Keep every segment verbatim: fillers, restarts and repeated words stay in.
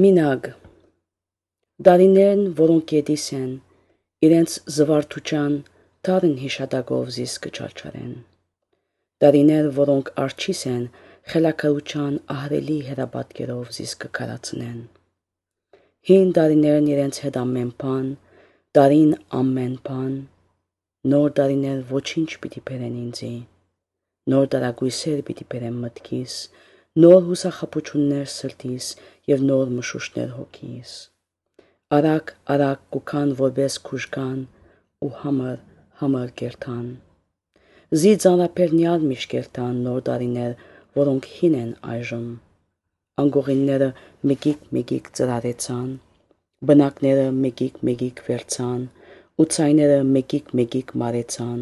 Մինագ Դարիներն, որոնք գետիս են, իրենց զվարթուչան դարին հիշադակով զիս կչարչարեն։ Դարիներ, որոնք արջիս են, խելակարության ահրելի հերապատկերով զիս կքարացնեն։ Հին դարիներն իրենց հետ ամեն բան, դարին ամեն բան, նոր դարիներ ոչինչ պիտի բերեն ինձի, նոր դարագույսեր պիտի բերեն մտքիս, նոր հուսախաբություններ սրտիս և նոր մշուշներ հոգիս։ Արագ արագ կուքան որպես քուժգան ու համր համր կերթան։ Զի ծանրապերնյալ միշտ կերթան նոր դարիներ, որոնք հին են այժմ։ Անգողինները մեկիկ մեկիկ ծրարեցան, բնակները մեկիկ մեկիկ վերցան, ու ցայները մեկիկ մեկիկ մարեցան,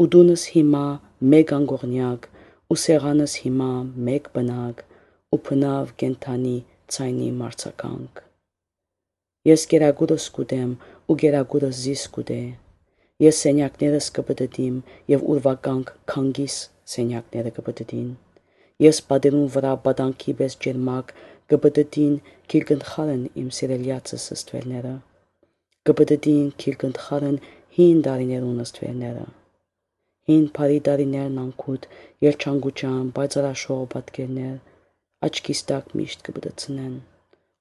ու դունս հիմա մեկ անգողնյակ, ու սեղանս հիմա մեկ բնակ, ու բնավ կենթանի ցայնի մարցականք։ Ես գերագուրս կուտեմ ու գերագուրս զիս կուտե, ես սենյակներս կպտտիմ և ուրվականք քանգիս սենյակները կպտտին, ես պատերուն վրա պատանքի պես ջերմակ կպտտին քիրկնդխարն իմ սիրելյացս ստվերները, կպտտին քիրկնդխարն հին դարիներուն ստվերները, հին բարի դարիներն անքուտ երջանկության պայծառաշող պատկերներ, աչքիս տակ միշտ կպտցնեն,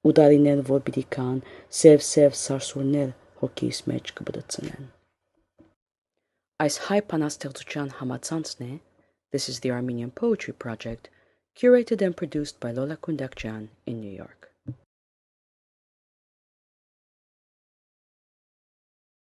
ու դարիներ, որ պիտի գան, սև-սև սարսուռներ հոգիս մեջ կպտցնեն։ Այս հայ բանաստեղծության համացանցն է This is the Armenian Poetry Project, curated and produced by Lola Kundakjian in New York.